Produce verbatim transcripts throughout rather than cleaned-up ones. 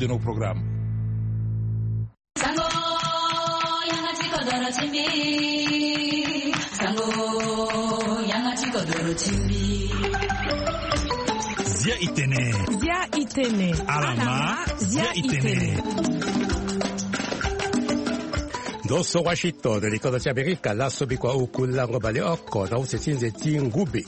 De nos programmes. Sango, yanga ti kodoro ti mbi. Sango, yanga ti kodoro ti mbi. Zia itene. Zia itene. Alama, zia itene. Ndo so Washington, likodo ti Amerika, laso bikua oku lango baleoko na use ti nze ti ngube.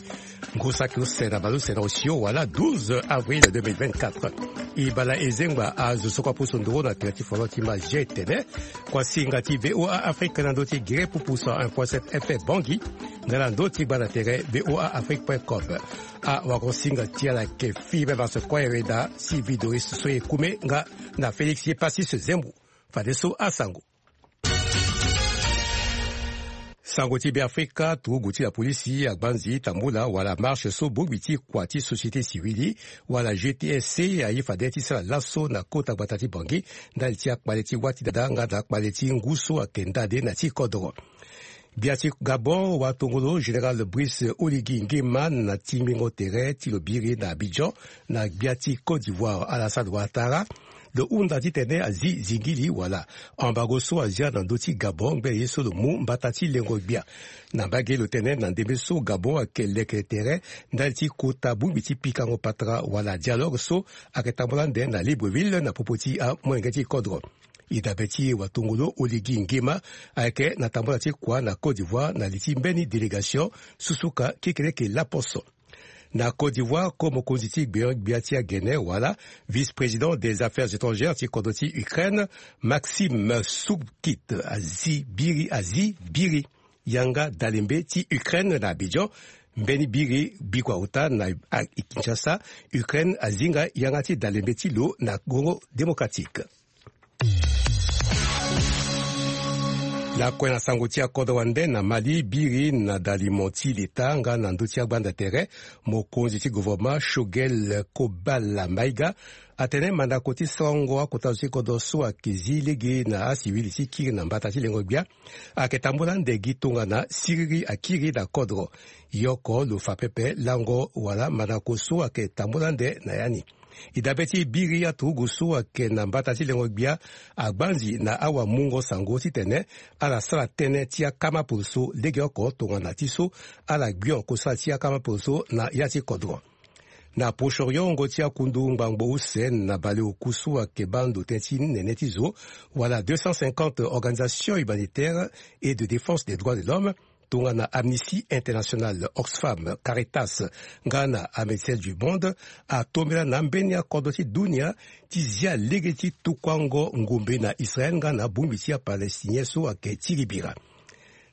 Ngu saki use na baleuse na osio wala douze avril deux mille vingt-quatre. E bala e zengba azo so kua pusu nduru na tere ti folon ti ma G T N. Kua singa ti V O A Afrique na ndö ti gere pupu cent un point sept F M Bangui, nga na ndö ti gba na tere V O A Afrique point com. Awako singa ti ala yeke Fibe Vasse Koyere na Sylvie Doris so e kume nga na Félix Yepassis Zembo. Fadeso asango. Sango ti Beafrika, turugu ti lapolisi agbanzi tambula wala marche so bongbi ti kua ti société civile wala G T S C aye fade ti sara laso na kota gbata ti Bangui ndali ti akpale ti wâ ti dada nga na akpale ti ngu so ayeke ndade na ti kodro. Gbia ti Gabon, watongolo général Brice Oligui Nguema na tingbingo tere ti lo biri na Abidjan na gbia ti Côte d'Ivoire Alassane Ouattara, lo hunda titene azi zingili wala embargo so azia na ndö ti Gabon ngbene ye so lo mu mbata ti lengo gbia. Na mbage lo tene na ndembe so Gabon ayeke leke tere ndali ti kota bongbi ti pikango patara wala dialogue so ayeke tambula ande na Libreville na popo ti amolenge ti kodro. E dabe ti watongolo Oligui Nguema ayeke na tambula ti kua na Côte d'Ivoire na li ti mbeni délégation susuka kekeleke laposo. Na Côte d'Ivoire, ko mokonzi ti gbe-, gbia ti agene wala vice-président des affaires étrangères ti kodro ti Ukraine, Maxime Soukit, azi biri, azi biri yanga dalembe ti Ukraine na Abidjan. Mbeni biri bikua ota na, a, Kinshasa, Ukraine azinga yanga ti dalembe ti lo na Congo Démocratique. Lakue na sango ti akodro wande na Mali, biri na dalimo ti leta nga na ndö ti agbanda tere, mokonzi ti gouvernement Choguel Kobala Maïga atene mandako ti sarango akota zo ti kodro so ayeke zi lege na asivili ti kiri na mbata ti lengo gbia ayeke tambula ande gi tongana siriri akiri na kodro. Ye oko lo fa pepe lango wala mandako so ayeke tambula ande na ya ni. E dabe ti biri aturugu so ayeke na mbata ti lengo gbia agbanzi na awamungo sango titene ala sara tënë ti akama poroso legeoko tongana ti so ala gbio kosala ti akama poroso na ya ti kodro. Na Proche-Orient, wungo ti akundu ngbangbo use na baleoku so ayeke baa ndo tënë ti nene ti zo wala deux cent cinquante organisations humanitaires et de défense des droits de l'homme, tongana Amnesty International, Oxfam, Caritas nga na Médecins du Monde, atombela na ambeni akodro ti dunia ti zia lege ti tukuango ngombe na Israël nga na bongbi ti aPalestinien so ayeke ti libira.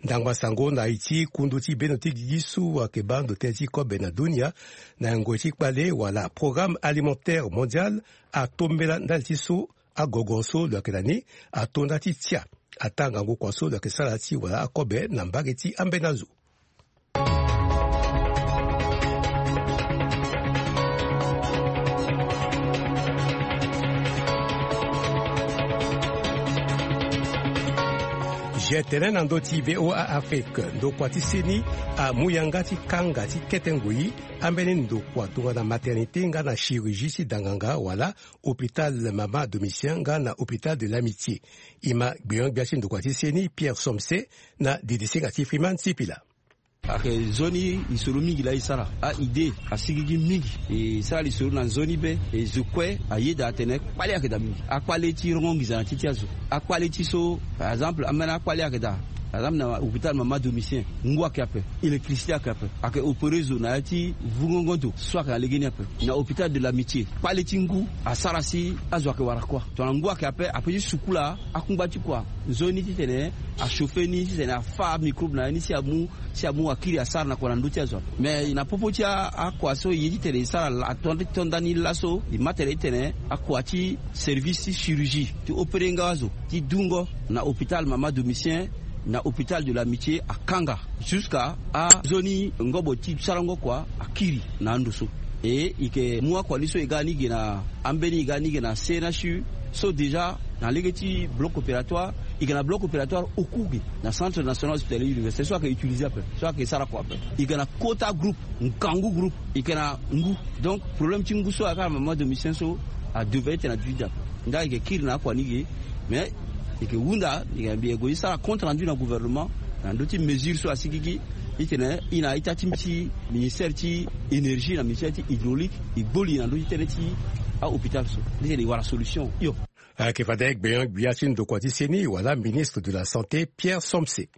Ndangba sango na iri ti kundu ti bendo ti gigi so ayeke baa ndo tënë ti kobe na dunia na ngoi ti kpale wala Programme Alimentaire Mondial atombela ndali ti so agogo so lo yeke na ni ato nda ti tia ataa ngangu kua so lo yeke sara ti wala akobe na mbage ti ambeni azo. Ge tene na ndö ti V O A Afrique, ndokua ti seni amu yanga ti kanga ti kete ngoi ambeni ndokua tongana maternité nga na chirurgie ti danganga wala hôpital mama domicien nga na hôpital de l'Amitié. E ma gbeon-gbia ti ndokua ti seni Pierre Somse na didisinga ti Freeman Sipila. Ayeke nzoni lisoro mingi laa e sara. A-idée asigigi mingi. E sara lisoro na nzoni be. E zo kue ayeda atene kpale ayeke daa mingi. Akpale ti rongo nginza na ti ti azo. Akpale ti so, par exemple, ambeni akpale ayeke daa. Par exemple, na hôpital mama domicien, ngu ayeke ape, électricité ayeke ape. Ayeke opéré zo na ya ti vungongo ndo so ayeke na legeni ape. Na hôpital de l'Amitié, kpale ti ngu asara si azo ayeke wara kuâ. Tongana ngu ayeke ape, ape ti sukula akungba ti kua nzoni titene achauffer ni, titene afâ amicrobe na ya ni si amu, si amu akiri asara na kua na ndö ti azo ape. Mais na popo ti a, akua so e ye titene e sara la, ato, ato ndani laso, e ma tene titene akua ti service ti chirurgie ti opéré nga azo, ti dungo na hôpital mama domicien, na hôpital de l'Amitié akanga. Jusqu'à anzoni ngobo ti sarango kua akiri na ando so. E, e yeke mu akua ni so e ga ni ge na ambeni, e ga ni ge na C N H U, so déjà na lege ti bloc opératoire, e yeke na bloc opératoire oku ge na Centre National Hospitalier Universitaire so ayeke utiliser ape, so ayeke sara kua ape. E yeke na quota groupe, ngangu groupe, e yeke na ngu. Donc problème ti ngu so ayeke na mama domicien so adevait tena vide ape. Nga e yeke kiri na akua ni ge. Mais e yeke hunda, e yeke mbi e gue ti sara compte rendu na gouvernement na ndö ti mesure so asikiki. Titene e na ita ti mbi ti ministère ti énergie na ministère ti hydraulique e gbo li na ndö ti tënë ti ahôpital so. Titene e wara solution hio. Ayeke fade gbenyo-gbia ti ndokua ti seni wala ministre de la santé Pierre Somse. E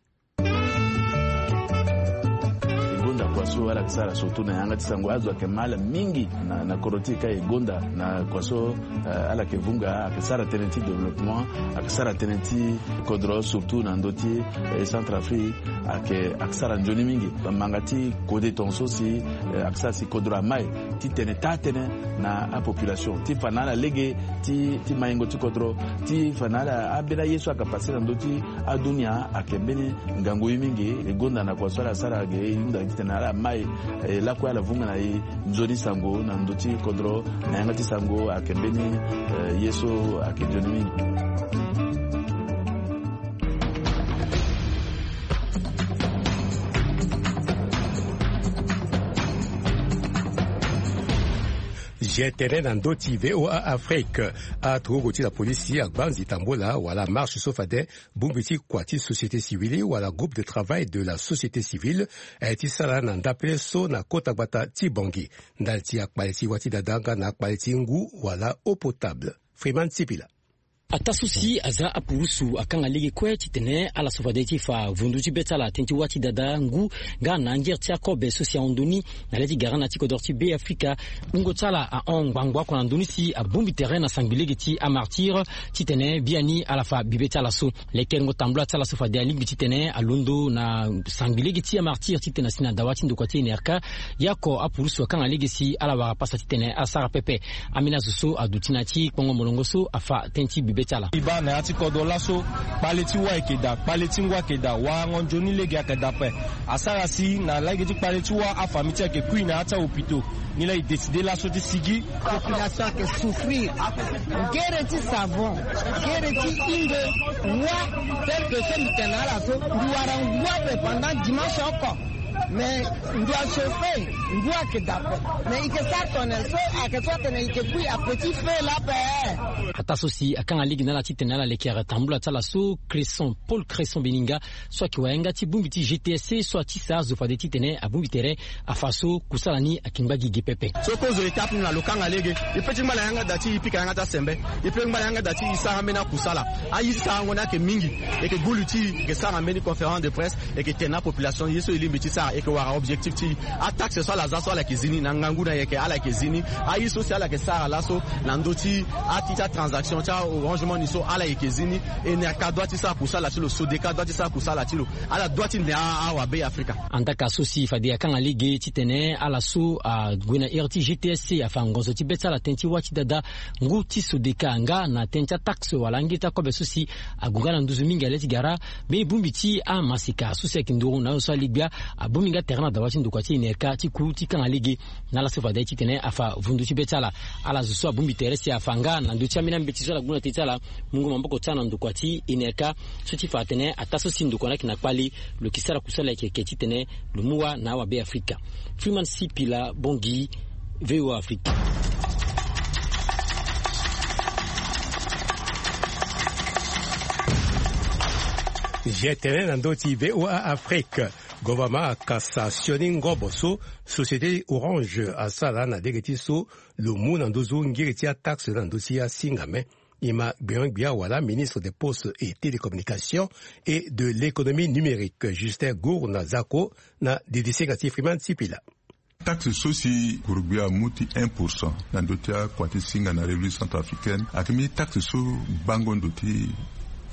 gonda kua so ala yeke sara surtout na yanga ti sango. Azo ayeke ma ala mingi na, na kodro ti e ka e gonda na kua so, eh, ala yeke vunga, ayeke sara tënë ti développement, ayeke sara tënë ti kodro surtout na ndö ti, eh, Centrafrique, ayeke, ayeke sara nzoni mingi. Manga ti kode tongaso si, eh, ayeke sara si kodro amai titene taa tënë na apopulation ti fa na ala lege ti, ti maingo ti kodro, ti fa na ala ambeni aye so ayeke pase na ndö ti adunia ayeke mbeni ngangu ye mingi. E gonda na kua so ala sara ge, e hunda titene ala mai, eh, lakue ala vunga na e nzoni sango na ndö ti kodro na yanga ti sango ayeke mbeni, eh, ye so ayeke nzoni mingi. Ge tene na ndö ti V O A Afrique. Aturugu ti la polisi agba nzi tambola wala marche so fade bongbi ti kua ti société civile wala groupe de travail de la société civile, eh, ti sara na ndapele so na kota gbata ti Bangui ndali ti akpale ti wâ ti dada nga na akpale ti ngu wala eau potable. Freeman Sipila. Ataa so si aza apurusu akanga lege kue titene ala so fade ti fa vundu ti be ti ala tënë ti wâ ti dada, ngu, nga na angere ti akobe so si ahon ndoni na le ti gara na ya ti kodro ti Be Afrika. Wungo ti ala ahon ngbangbo oko na ndoni si abongbi tere na sangbi lege ti amartyr titene biani ala fa bibe ti ala so. Lekerengo tambula ti ala so fade alingbi titene alondo na sangbi lege ti amartyr titene asi na dawa ti ndokua ti N R K. Ye oko apurusu akanga lege si ala wara pasa titene asara pepe. Ambeni azo so aduti na ya ti kpongo molongo so afa tënë ti bibe ti ala. E baa na ya ti kodro laso, kpale ti wâ ayeke daa, kpale ti ngu ayeke daa, warango nzoni lege ayeke daa ape. Asara si na lege ti kpale ti wâ afamille ti e ayeke kui na ya ti ahôpitaux. Nilaa e décide laso ti sigi. Population ayeke souffrir. Gere ti savon, gere ti hingo, wâ, tel que so mbi tene na ala so, mbi wara ngu ape pendant dimanche oko. Mais mbi achauffé, ngu ayeke daa ape. Mais e yeke sara tongana nyen so ayeke so atene e yeke kui à petit feu laa ape? Ataa so si akanga lege na ala titene ala lekere tambula ti ala so, Cresson, Paul Cresson Beninga, so ayeke wayanga ti bongbi ti G T S C so atisa azo fade titene abongbi tere afa so kusala ni ayeke ngba gigi pepe. So kozo étape ni na lo kanga lege. E pe ti ngba na yanga daa ti e pika yanga ti asembe. E pe ngba na yanga daa ti e sara mbeni akusala. Aye ti sarango ni ayeke mingi. E yeke gbu li ti e, e yeke sara mbeni conférence de presse, e yeke tene na apopulation ye so e lingbi ti sara, e yeke wara objectif ti e. Ataxe so ala za so ala yeke zi ni, na ngangu na e yeke ala yeke zi ni. Aye so si ala yeke sara laso na ndö ti ati ti atransaction ti a-Orange Money so ala yeke zi ni. N R K doit ti sara kusala ti lo, Sodeka doit ti sara kusala ti lo. Ala doit ti ne a, awabe Afrika. Andaka so si fade akanga lege titene ala so ague na ere ti G T S C afa ngonzo ti be ti ala tënë ti wâ ti dada, ngu ti Sodeka nga na tënë ti ataxe wala angiri ti akobe so si ague nga na nduzu mingi na le ti gara. Mbeni bongbi ti amaseka so si ayeke nduru na azo so aligbia abongbi nga tere na dawa ti ndokua ti N R K ti ku ti kanga lege na ala so fade titene afa vundu ti be ti ala. Ala zo so abongbi tere si afa nga na ndö ti ambeni ambeti so ala gue na tënë ti ala mungo maboko ti ala na ndokua ti N R K, so ti fa atene ataa so si ndokua ni ayeke na kpale, lo yeke sara kusala yeke yeke titene lo mu wâ na awabe Afrika. Freeman Sipila, Bangui, V O A Afrique. Ge tene na ndö ti V O A Afrique. Gouvernement akasa sioni ngobo so société Orange asara na lege ti so lo mu na nduzu ngiri ti ataxe na ndö ti asingame. E ma gbenyo-gbia wala ministre des Postes et Télécommunications et de l'Économie numérique, Justin Gourna Zako, na didisinga ti Freeman Sipila. Taxe so si guru-gbia amu ti un pour cent na ndö ti akua ti singa na République centrafricaine ayeke mbeni taxe so gbango ndo ti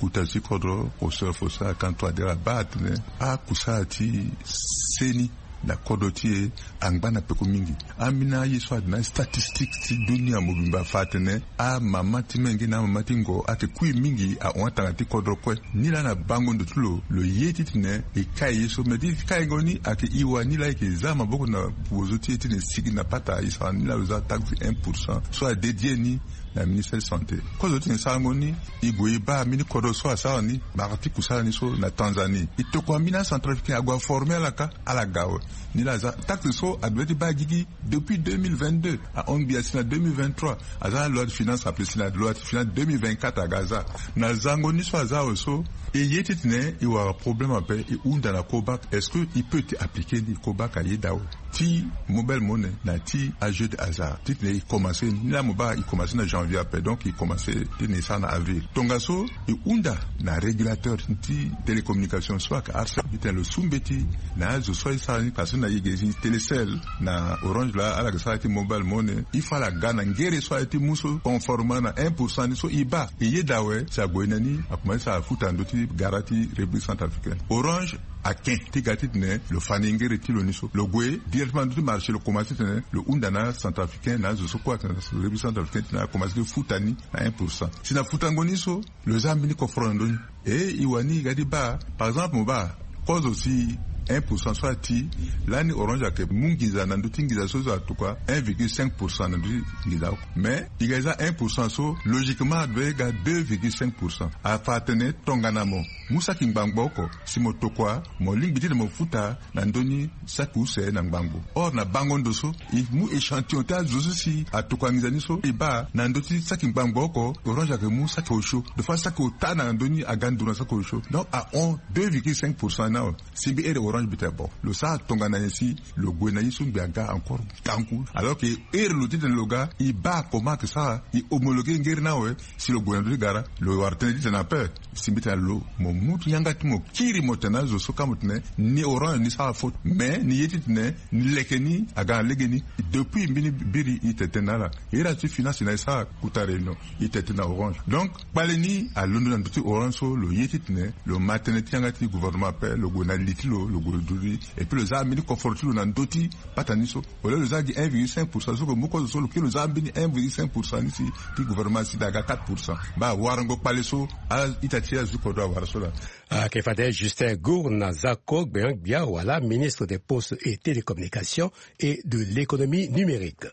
kota ti kodro. Kosoro fo so akanto adere abaa atene akusala ti seni na kodro ti e angba na peko mingi. Ambeni aye so ayeke na statistique ti dunia mobimba afa atene amama ti menge na amama ti ngo ayeke kui mingi ahon atanga ti kodro kue. Nilaa na bango ndo ti lo, lo ye titene e kai ye so, me ti kaingo ni ayeke e wa. Nilaa e yeke za maboko na bozo ti e titene e sigi na pata e sara nilaa lo za taxe un pour cent so adédié ni Na ministère santé kozo ti tene sarango ni, e gue e baa mbeni kodro so asara ni, mbara ti kusala ni so na Tanzanie. E tokua mbeni acentrafricain ague aforme ala ka, ala ga awe. Ni laa aza taxe so ague ti baa gigi depuis deux mille vingt-deux ahon gbia si na deux mille vingt-trois. Aza na loi de finance ape si na loi de finance deux mille vingt-quatre aga aza. Na zango ni so aza awe so, e ye ti tene e wara problème ape, e hunda na Cobac, est-ce que e peut ti appliquer ni? Cobac ayeda awe. Ti mobile monnaie na ti ajeu de hasard ti tene e commencer ni laa mo baa e commencer na janvier ape, donc e commencer ti tene e sara na avril. Tongaso e hunda na régulateur ti télécommunication so ayeke ARCEP ti tene lo su mbeti na azo so aye sara ni, parce que na yege ti Telecel na Orange laa ala yeke sara ti mobile monnaie, il faut ala ga na ngere so aye ti mu so conformément na un pour cent ni so e baa. E yeda awe si ague na ni akomanse sara futa na ndö ti gara ti République centrafricaine. Orange ake ti ga ti tene lo fa ni ngere ti lo ni so, lo gue directement na ndö ti marché, lo komanse ti tene lo hunda na acentrafricain na azo so kue ayeke na République centrafricaine ti tene akomanse ti futa ni na un pour cent. Si na futango ni so, lo za mbeni koforo na ndö ni. E e wani e ga ti baa, par exemple mo baa kozo si un pour cent so ati, lani Orange ayeke mu nginza na ndö ti nginza so zo atokua un virgule cinq pour cent na ndö ti nginza oko. Mais e ga e za un pour cent so, logiquement adoit e ga deux virgule cinq pour cent. Afa atene tongana mo mu saki ngbangbo oko, si mo tokua, mo lingbi ti tene mo futa na ndö ni saki use na ngbangbo. Or na bango ndo so, e mu échantillon ti azo so si atokua nginza ni so, e baa na ndö ti saki ngbangbo oko, Orange ayeke mu saki osio. Des fois saki ota na ndö ni aga nduru na saki osio. Donc ahon deux virgule cinq pour cent ni awe. Si mbi here Orange mbi tene bon, lo sara tongana nyen si lo gue na ye so ngbi aga encore ngangu? Alors que here lo ti tene lo ga, e baa comment ayeke sara, e homologuer ngere ni awe. Si lo gue na ndö ti gara, lo wara tënë ti tene ape. Si mbi tene na lo, mo mu yanga ti mo kiri mo tene na azo so ka mo tene ni Orange ni sara faute. Mais ni ye ti tene ni leke ni aga na legeni. Depuis mbeni biri e tene tënë na ala, e iri azo ti finance na e sara kuta réunion, e tene tënë na Orange. Donc kpale ni alondo na ndö ti Orange so, lo ye ti tene lo ma tënë ti yanga ti gouvernement ape, lo gue na li ti lo, lo gue lo duti. Et puis lo za mbeni koforo ti lo na ndö ti pata ni so. Au lieu lo za gi un virgule cinq pour cent so, lo mu kozo so lo kiri lo za mbeni un virgule cinq pour cent ni si ti gouvernement si aga quatre pour cent. Baa warango kpale so, a ita ti azo ti kodro awara so laa. Ayeke fade Justin Gourna Zako, gbenyo-gbia wala ministre des Postes et Télécommunications et de l'Économie numérique.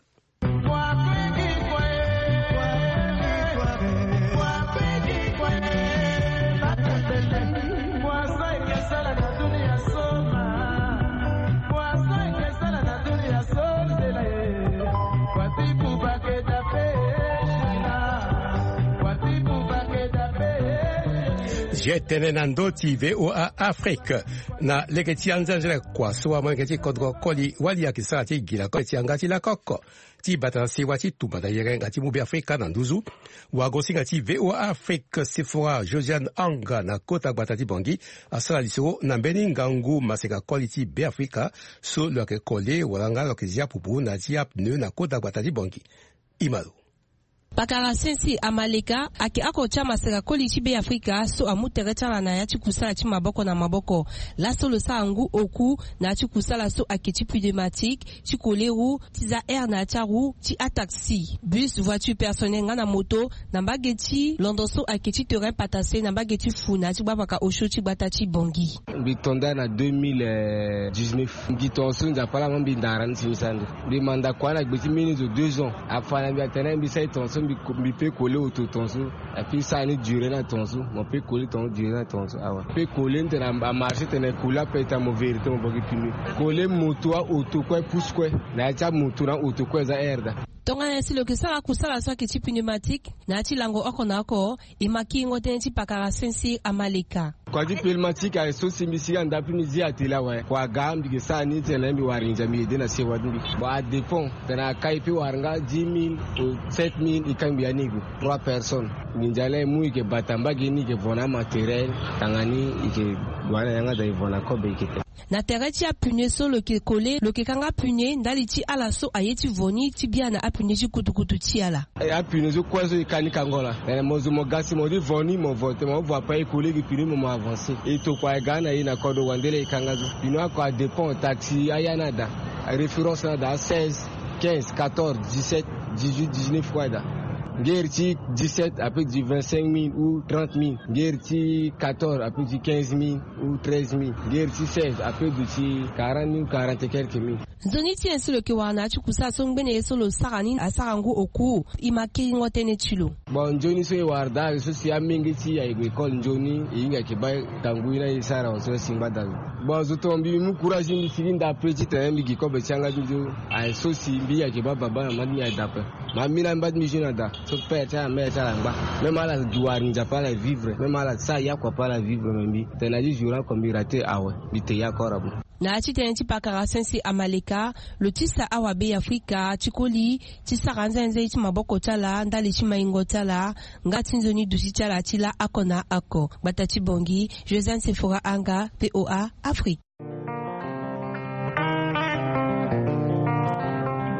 Zia tënë na ndö ti V O A Afrique. Na lege ti anzenzele kua so amolenge ti kodro koli wali ayeke sara ti gi lakoko ti yanga ti lakoko ti bata na sewa ti tumba na yere nga ti mu Beafrika na nduzu. Wagosinga ti V O A Afrique Sephora Josiane Anga na kota gbata ti Bangui asara lisoro na mbeni ngangu maseka koli ti Beafrika so lo yeke kole wala nga lo yeke zia pupu na ya ti apneu na kota gbata ti Bangui. Imalo. Pakara Sensi Amaleka ayeke oko ti amaseka koli ti Beafrika so amu tere ti ala na ya ti kusala ti maboko na maboko. Laso lo sara ngu oku na ya ti kusala so ayeke ti pneumatique, ti koleru, ti za aire na ya ti aru, ti ataxi, bus, voiture personnelle nga na moto, na mbage ti londo so ayeke ti terrain patase na mbage ti fu na ya ti gbapaka osio ti gbata ti Bangui. Mbi to nda na deux mille dix-neuf. Mbi gi tongaso Nzapa ala ma mbi ndara ni si mbi sara ande. Mbi manda kua na gbe ti mbeni zo deux ans. Afa na mbi atene mbi sara e tongaso, mbi ko-, mbi peut coller oto tongaso. Ape sara ni duré na tongaso. Mo peut coller tongaso, duré na tongaso. Awa. Peut coller ni tene amarché tene coller ape ita mo vérité mo vo gi pneu. Coller moto a oto kue pousse kue. Na ya ti amoto na oto kue eza aire daa. Tongana nyen si lo yeke sara kusala so ayeke ti pneumatique na ya ti lango oko na oko, e ma kiringo tënë ti pakara Sensi Amaleka. Kua ti pneumatique aye so si mbi sigi anda ape mbi zi atelier awe. Kua aga mbi yeke sara ni tene mbi wara nginza mbi aidé na sewa ti mbi. Bon, adépend. Tene akai peut wara nga dix mille ou sept mille, e kangbi ya ni e gue. Trois personnes. Nginza laa e mu e yeke bata mbage ni, e yeke vo na amatériel. Tanga ni e yeke gue na yanga daa e vo na kobe e yeke te. Na tere ti apneu so lo yeke coller, lo yeke kanga pneu ndali ti ala so aye ti vo ni ti bia na apneu ti kutukutu ti ala. E, apneu so kue so e ka ni kango laa. Tene mo zo mo ga si mo ti vo ni, mo vo te, mo vo ape e coller gi pneu mo, mo avancer. E tokua e ga na e na kodro wande laa e kanga so. Pneu oko adépend, taxi aya ni ada. Référence ni ada seize, quinze, quatorze, dix-sept, dix-huit, dix-neuf kue ada. Ngere ti dix-sept ape du vingt-cinq mille ou trente mille. Ngere ti quatorze ape du quinze mille ou treize mille. Ngere ti seize ape du ti quarante mille ou quarante et quelques mille. Nzoni ti nyen so lo yeke wara na ya ti kusala so ngbene ye so lo sara ni asara ngu oku? E ma kiringo tënë ti lo. Bon, nzoni so e wara daa so si amenge ti e ayeke gue école nzoni, e hinga yeke baa tangu ye na e sara wa so si ngbada lo. Bon, zo tonga mbi mu courage, mbi sigi nda pe titene mbi gi kobe ti yanga ti nzoni. Aye so si mbi yeke baa baba na mama ti mbi aye daa ape. Ma mbi na mba ti mbi zo na daa so père ti ala mère ti ala angba. Même ala gi wari nzapa ala vivre, même ala sara yakua pe ala vivre, me mbi tene na ti zo na oko mbi rate awe. Mbi te yakua ora bo. Na ya ti tënë ti pakara sese amaleka, lo tisa awabe ya Afrika ti koli ti sara nzenze ti maboko ti ala ndali ti maingo ti ala nga ti nzoni duti ti ala ti laa oko na oko. Gbata ti Bangui, Josiane Sephora Anga, V O A Afrique.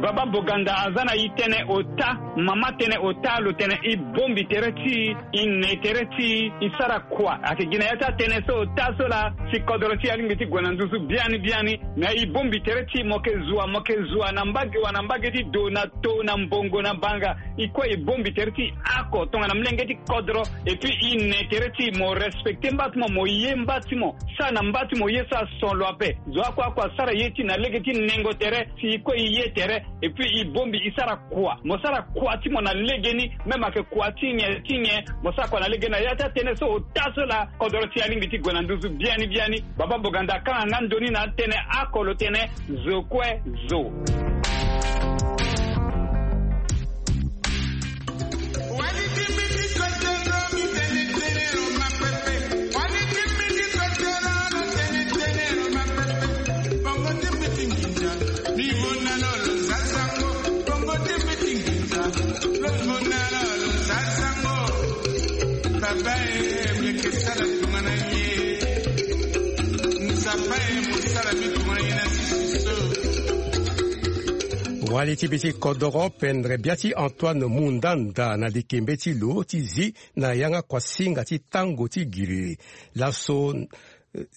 Baba Boganda aza na e tënë ota, mama tënë ota, lo tene e bongbi tere ti e, e ne tere ti e, e sara kua. Ayeke gi na ya ti atënë so ota so laa si kodoro ti e alingbi ti gue na nduzu biani biani. Me e bongbi tere ti e, mo yeke zua, mo yeke zua na mbage wa na mbage ti do na to na mbongo na banga. E kue e bongbi tere ti e oko tongana molenge ti kodro. Et puis e ne tere ti e, mo respecte mba ti mo, mo ye mba ti mo, sara na mba ti mo ye so ason lo ape. Zo oko oko asara ye ti e na lege ti nengo tere, si e kue e ye tere. Et puis e bongbi e sara kua, mo sara kua ti mo na legeni. Même ayeke kua ti nyen ti nyen, mo sara kua na legeni. Na ya ti atënë so ota so laa kodoro ti e alingbi ti gue na nduzu biani biani. Baba Boganda akanga nga nzoni na atënë oko, lo tene zo kue zo. Wali ti be ti kodoro pendere bia ti Antoine Mundanda na likembe ti lo ti zi na yanga kuasinga ti tango ti giri. Laso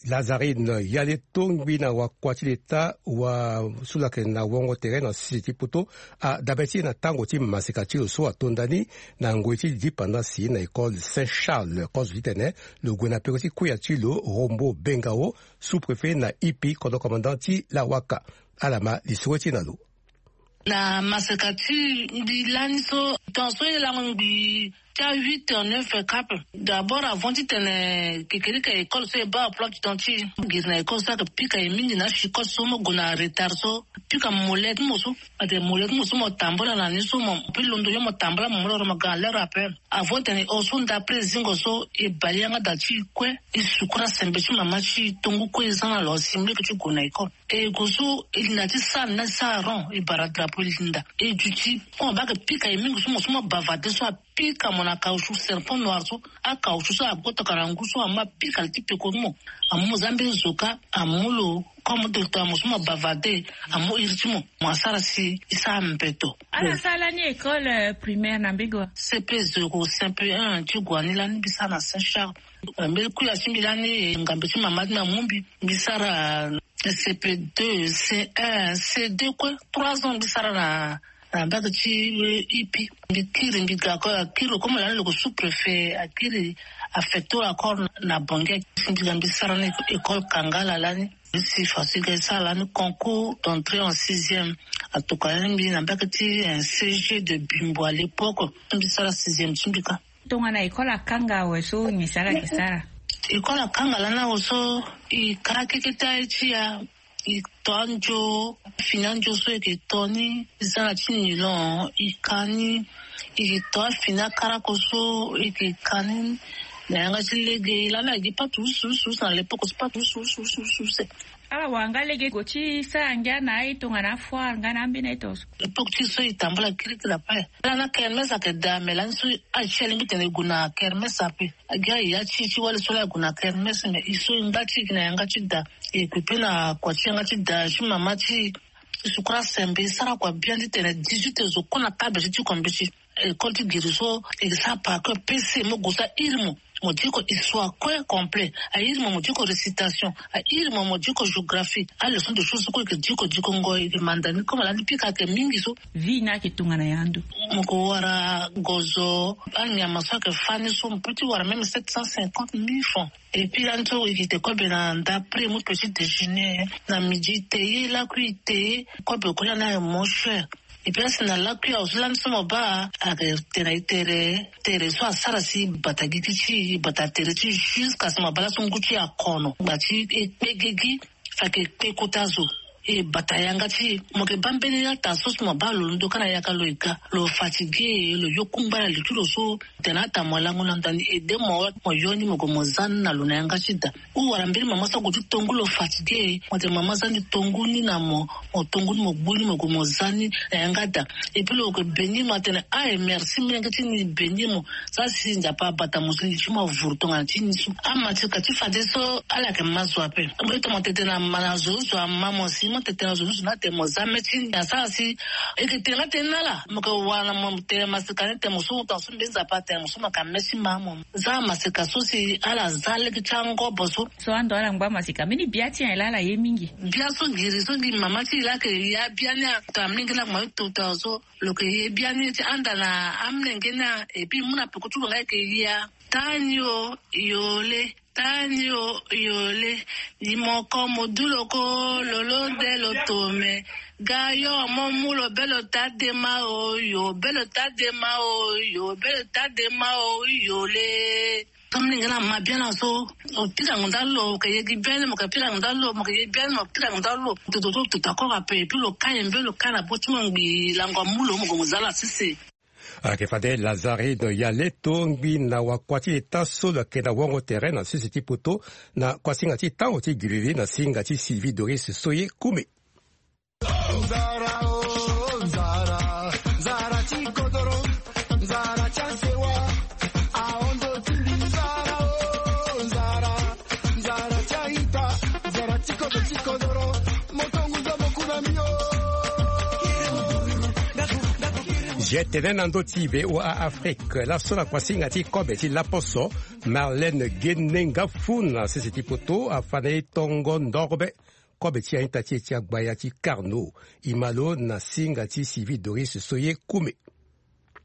Lazarine Yale, tongbi na wakua ti leta wa so lo yeke na wongo tere na sese ti poto, adabe ti e na tango ti maseka ti lo so atonda ni na ngoi ti dipandasi na école Saint Charles. Kozo titene lo gue na peko ti kuya ti lo, Rombo Bengao, sous-préfet na I P I, kodro commandant ti Lawaka. Ala ma lisoro ti e na lo. Na maseka ti mbi lani so, tongaso e lango ngbii ti a huit heures, neuf heures cap. D'abord, avant titene kekerika école so e baa emploi du temps ti e, giri na école so ayeke pika e mingi na chicotte so mo gue na retard so, pika mollet ti mo so. Ate mollet ti mo so mo tambula na ni so, mo pe londo yo mo tambula, mo mu loro mo ga na l'heure ape. Avant titene e hon so, ndapre zingo so, e bale yanga da ti e kue, e sukura sembe ti mama ti e, tongu kue e za na lo si mo leke ti gue na école. E gue so e linda ti sara na ti sara rond, e bara drapeau e linda. E duti, comme abaa ayeke pika e mingi so, mo so mo bavarder so, apika mo na caoutchouc, serpent noir so, acaoutchouc so ague tokana ngu so, amu apika li ti peko ti mo. Amu mo za mbeni zoka, amu lo, comme docteur, mo so mo bavarder, amu iri ti mo, mo asara si e sara mbeto. Ala sara lani école, euh, primaire na mbage wa? C P zéro, C P un ti gue ni lani mbi sara na Saint Charles. Mbeni kuya ti mbi lani, ngambe ti mama ti mbi amu mbi, mbi sara C P deux, C un, C deux kue, trois ans mbi sara na, na mbage ti, euh, I P I. Mbi kiri, mbi ga encore, akiri lo comme lani lo yeke sous-préfet, akiri affecté lo encore na Bangui. Mbi ga mbi sara na école Kangala lani. Mbi si fa si ga e sara lani concours d'entrée en sixième. Atokua lani mbi na mbage ti, euh, C G de Bimbo à l'époque. Mbi sara sixième ti mbi kâ. Tongana école akanga awe so, nyen si ala yeke sara? École akanga lani awe so, e kara keke ti aye ti ya, e to anzo, fini anzo so e yeke to ni, e za na ti nylon, e ka ni, e yeke to afini akarako so, e yeke ka ni na yanga ti lege. Lani agi patu usu usu usu na l'époque so, patu usu usu usu usu. Ala wara nga lege gue ti sara ngia na aye tongana afoire nga na ambeni aye tongaso. Époque ti so e tambula kirikiri ape. Ala na kermesse ayeke daa, me lani so aye ti e alingbi tene e gue na kermesse ape. Agi aye ya ti e ti wali so laa e gue na kermesse, me e so e ngba ti e gi na yanga ti da. E gue pe na kua ti yanga ti da ti mama ti e. E sukura sembe, e sara kua biani titene dix-huit heures zo kue na table ti ti kua mbeti. École ti giri so, e sara par cœur P C, mo gue so airi mo. Mo diko histoire kue complet, a iri mo mo diko récitation, a iri mo mo diko géographie. A leçon de choses so kue eke diko diko ngo eke manda ni comme ala ni pika ake mingi so. Vie ni ake tongana ya ndo. Mo ko wara gozo, anyama so ake fani so mo peti wara même sept cent cinquante mille francs. Et puis la nso eke te kobe na nda prix mo petit déjeuner na midi te ye lakui te ye kobe ko la na mo cher. Et puis asi na lakui awo so la nso mo ba ake tena itere tere so asara si bata gigi ti bata tere ti jusqu'à si mo ba la so ngu ti akono ngba ti ekpe gigi. Fa ke kpe kota zo e bata yanga ti e. Mo ke baa mbeni lata so si mo baa lo ndo ka na yaka lo e ga lo fatigué lo yo kungba na li ti lo so. Tena ata mo lango na ndani ede mo mo yo ni mo gue mo za ni na lo na yanga ti da. Ou wala mbeni mama so ague ti tongu lo fatigué mo tene mama za ni tongu ni na mo. Mo tongu ni mo gbu ni mo gue mo za ni na yanga da. Et puis lo ke beni mo atene aye merci menge ti ni beni mo. Za si nzapa abata mo si li ti mo avuru tongana ti ni so. Amasika ti fade so ala yeke ma zo ape. Mbi tongana tete na ma na zo zo ama mo si mo tete na zo zo na tene mo za me ti ni asara si eke tene nga tene na ala mo ke wara na mo tene masika ni tene mo so mo tongana so mbi nzapa atene mo so mo yeke me ti ma mo. Za amasika so si ala za lege ti angobo so. So ando ala ngba masika mbeni bia ti nyen laa ala ye mingi. Bia so ngiri so ngiri mama ti e laa ake ya bia ni a tongana mlenge laa kuma ti tongana so. Lo ke ye bia ni ti anda na amlenge ni a. Et puis mu na peko ti lo nga eke ya tani o yole. Tani o yole. Ni moko mo du lo ko lo lo nde lo tome. Ga yo mo mu lo be lo ta dema o yo be lo ta dema o yo be lo ta dema o yole. Comme ni nga na ma bien na so. O pika ngonda lo ke ye gi bien mo ke pika ngonda lo mo ke ye bien mo pika ngonda lo. Toto toto tako ka pe puis lo ka yembe lo ka na bo ti mo ngbi lango mu lo mo gongo zala sisi. Ayeke fade lazarino ya leto ngbi na wakua ti eta so lo yeke na wongo tere na sese ti poto na kuasinga ti tango ti giriri na singa ti sylvie doris soye kume. Nzara o nzara nzara ti kodoro nzara ti asewa. Aondo ti mbi nzara o nzara nzara ti aita nzara ti kodo ti kodoro. Moto nguzo mokuna mbi o. Jetene na ndo ti voa afrique laso na kuasinga ti kobe ti laposo. Marlene gene ngafu na sese ti poto afa na ye tongo ndorbe. Kobe ti aita ti e ti agbaya ti carno. Imalo na singa ti sylvie doris soye kume.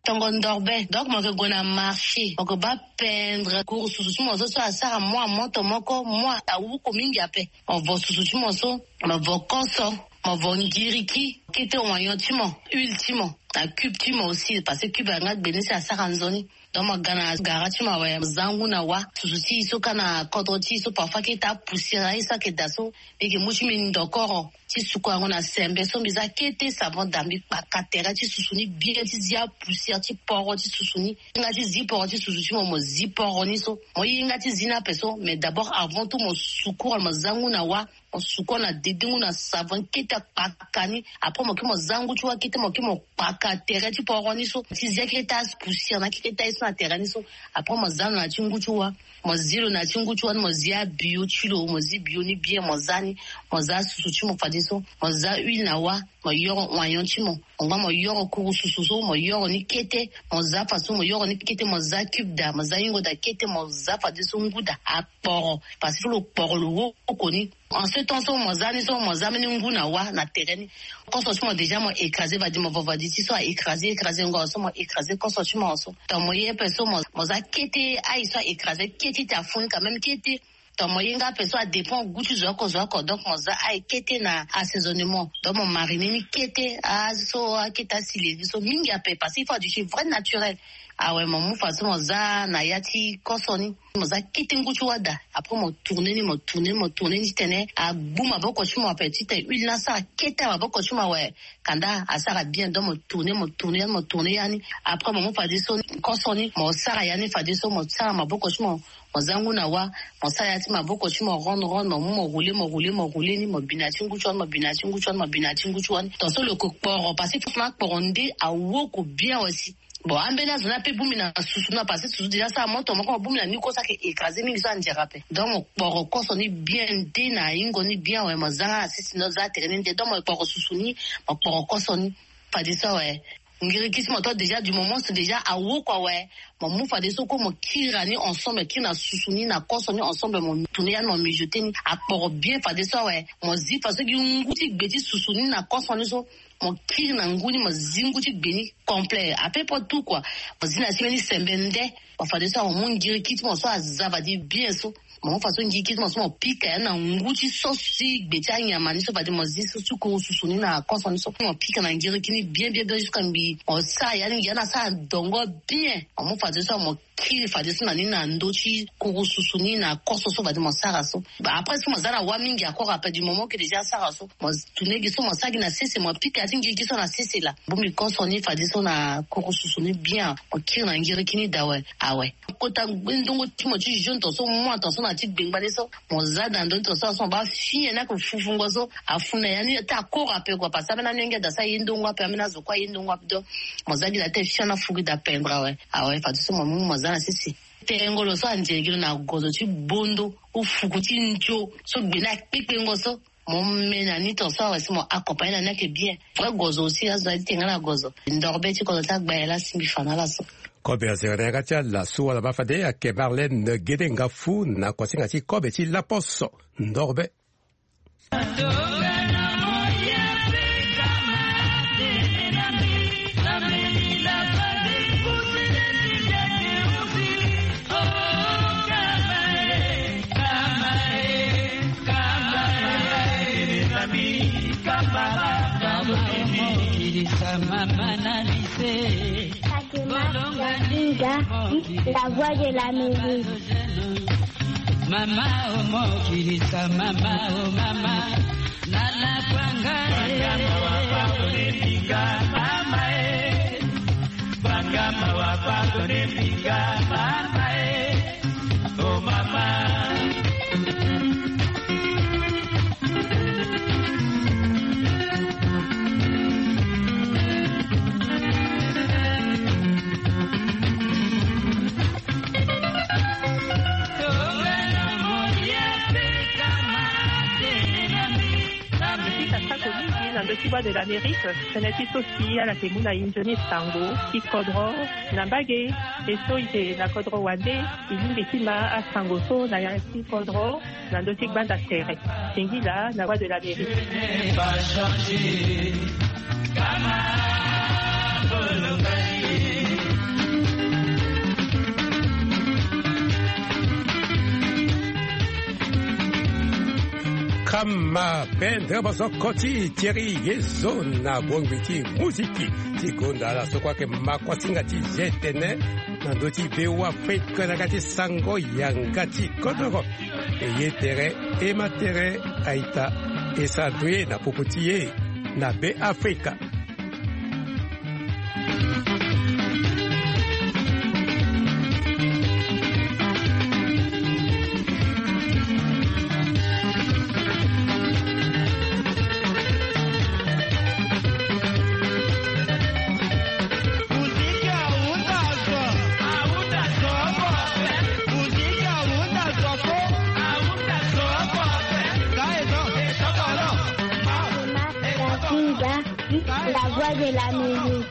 Tongo ndorbe donc mo ke gue na marché mo ke ba pendre kuru susu ti mo so so asara mua moto moko mua awuku mingi ape. Mo vo susu ti mo so mo vo koso mo vo ngiriki kete wayon ti mo huile ti mo na cube ti mo aussi parce que cube anga gbene si asara nzoni. Donc mo ga na gara ti mo awe mo za ngu na wa susu ti e so ka na kodro ti e so parfois kete apoussière na ye so ake daa so. Mbi yeke mu ti mbi ndokoro ti suku yango na sembe so mbi za kete savon daa mbi kpaka tere ti susu ni bien ti zi apoussière ti poro ti susu ni. Hinga ti zi poro ti susu ti mo mo zi poro ni so mo hinga ti zi ni ape so mais d'abord avant tout mo suku mo za ngu na wa. Mo suku na dede ngu na savon kete akpaka ni. Après mo ke mo za ngu ti wa kete mo ke mo kpaka tere ti poro ni so ti zi akete apoussière na akete aye so na tere ni so. Après mo za na ti ngu ti wa. Mo zi lo na ti ngu ti wa ni mo zi abio ti lo mo zi bio ni bien mo za ni. Mo za susu ti mo fadeso mo za huile na wa. Mo yoro wayon ti mo. Mo ngba mo yoro kuru susu so mo yoro ni kete. Mo za faso mo yoro ni kete mo za cube daa mo za yingo daa kete mo za fadeso ngu daa akporo. Parce que lo kporo lo woko ni. En ce temps so mo za ni so mo za mbeni ngu na wa na tere ni. Koso ti mo déjà mo écrasé vadi mo vo vadi ti so a écrasé écrasé ngo so mo écrasé koso ti mo so. Donc mo ye pe so mo za kete aye so a écrasé kete ti afu ni quand même kete. Donc mo ye nga pe so adépend gu ti zo oko zo oko donc mo za aye kete na assaisonnement donc mo marine ni kete azo so akete asileri so mingi ape parce que il faut aduti vrai naturel. Awe mo mu façon mo za na ya ti koso ni. Mo za kete ngu ti wada. Après mo tourne ni mo tourne ni mo tourne ni titene agbu maboko ti mo ape titene huile ni asara kete maboko ti mo awe. Kanda asara bien donc mo tourne mo tourne yani mo tourne yani. Après mo mu fadeso koso ni mo sara yani fadeso mo sara maboko ti mo. Mo za ngu na wa. Mo sara ya ti maboko ti mo ronde ronde mo mu mo roule mo roule mo roule ni mo bina ti ngu ti wani mo bina ti ngu ti wani mo bina ti ngu ti wani tonso lo ke kporo parce que fofo na akporo nde awoko bien aussi. Bon ambeni azo ni ape bongbi na susu na parce que susu déjà so amoto moko mo bongbi na ni koso ake écrasé mingi so andiara ape. Donc mo kporo koso ni bien nde na ayingo ni bien awe mo za nga na sisi ni oza atere ni nde donc mo kporo susu ni. Mo kporo koso ni. Fadeso awe. Ngiriki ti mo to déjà du moment so déjà awo kua awe. Mo mu fadeso kue mo kiri na ni ensemble, kiri na susu ni na koso ni ensemble, mo tourner ya ni, mo mijoter ni akporo bien fadeso awe. Mo zi faso gi ngu ti gbe ti susu ni na koso ni so. Mo kiri na ngu ni, mo zi ngu ti gbe ni complet, à peu près tout kua. Mo zi na ti mbeni sembe nde. Mo fadeso awe, mo mu ngiriki ti mo so aza fade bien so. Mo mu faso ngiriki ti mo so mo pika ya ni na ngu ti so si gbe ti anyama ni so fade mo zi so ti kuru susu ni na koso ni so. Mo pika na ngiriki ni bien bien bien jusqu'à mbi. Mo sara ya ni, ya ni asara dongo bien. Mo mu fadeso awe, mo kiri fadeso na ni na ndö ti kuru susu ni na koso so fade mo sara so. Après so mo za na wâ mingi encore, après du moment que déjà asara so, mo tourner gi so, mo sara gi na sese, mo pika ya ti ngiriki so na sese laa. Bongbi koso ni fadeso na kuru susu ni bien, mo kiri na ngiriki ni daa awe. Awe. Kota ndongo ti mo ti jaune tonso, mu atonso na ti gbengbale so. Mo za na ndö ti tonso so, mo baa fini ya ni ake fufungo so. Afu na ya ni taa akoro ape kua, parce que ambeni amenge daa so aye ndongo ape, ambeni azo kue aye ndongo ape. Donc mo za gi daa ti fini, afu gi daa pendre awe. Awe, fadeso mo mu mo za na sese. Tengo lo so anzere gi lo na gozo ti bondo, ou fuku ti nzio so gbe ni akpekpengo so. Mo me na ni tonso awe si mo accompagner na ni ake bien. Vrai gozo aussi, azo na ti tenga na gozo. Ndorbe ti kodro ti agbaye laa si mbi fa na ala so. Kobe azere na yanga ti ala so wala baa fade ayeke Marlène Gede Ngafu na kuasinga ti kobe ti laposo. Ndorbe. Fatima Yasinga, la voix de l'Amérique. Mama o mo kirisa, mama o mama, na la kwanga e. Mama e, banga mawa pardonne pinga mama e. Oh mama. Mbi sika sako mingi na ndö ti Voix de l'Amérique. Tënë ti so si ala yeke mu na e nzoni sango ti kodro na mbage. E so e yeke na kodro wande, e lingbi ti ma asango so na ya ti kodro na ndö ti gbanda tere. Singila na Voix de l'Amérique. Kama pendre bosoko ti Thierry Yezo na bongbi ti muziki ti gonda ala so kue ayeke ma kuasinga ti G T N na ndö ti V O A Afrique na yanga ti sango yanga ti kodro. E ye tere, e ma tere, a-ita, e sara ndoye na popo ti e na Be Afrika. Kinga, la voix de l'Amérique.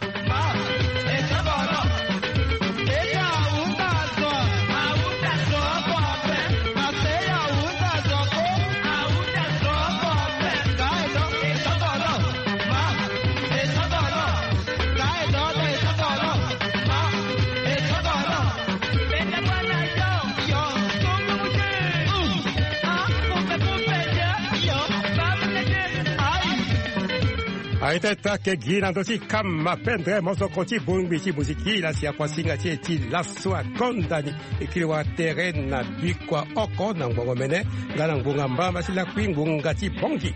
Aye tene ake gi na ndö ti kama pendre mosoko ti bongbi ti muziki la si akuasinga ti e ti laso akonda ni. E kiri wara tere na bikua oko na ngbongo mene nga na ngbonga mbamba ti lakui ngbonga ti bongi.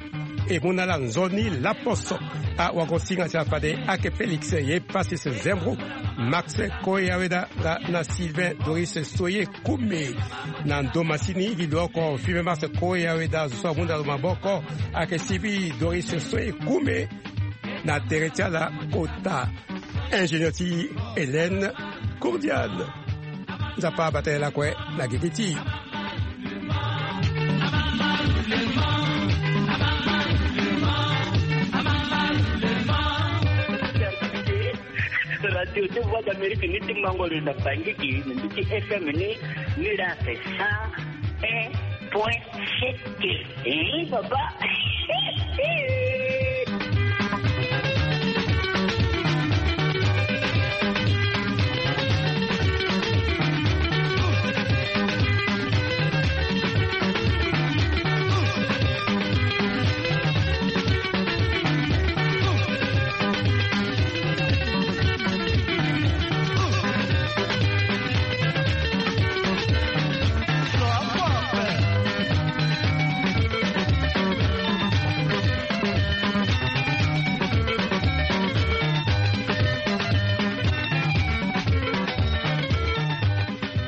E mu na ala nzoni laposo. Awagosinga ti ala fade ake Félix Yepasis Zembro, Max Koyaweda nga na Sylvain Doris Soye Kume. Na ndo masini gi lo oko Fime Max Koyaweda zo so amu na lo maboko ake Sivi Doris Soye Kume. Na tere ti ala kota ingénieur ti Hélène Cordial. Nzapa abata ye lakue na gigi ti. Radio ti Voix d'Amérique ni ti Mangoro na Bangui, na ndö ti F M ni, ni la c'est cent un point sept. Eh, papa.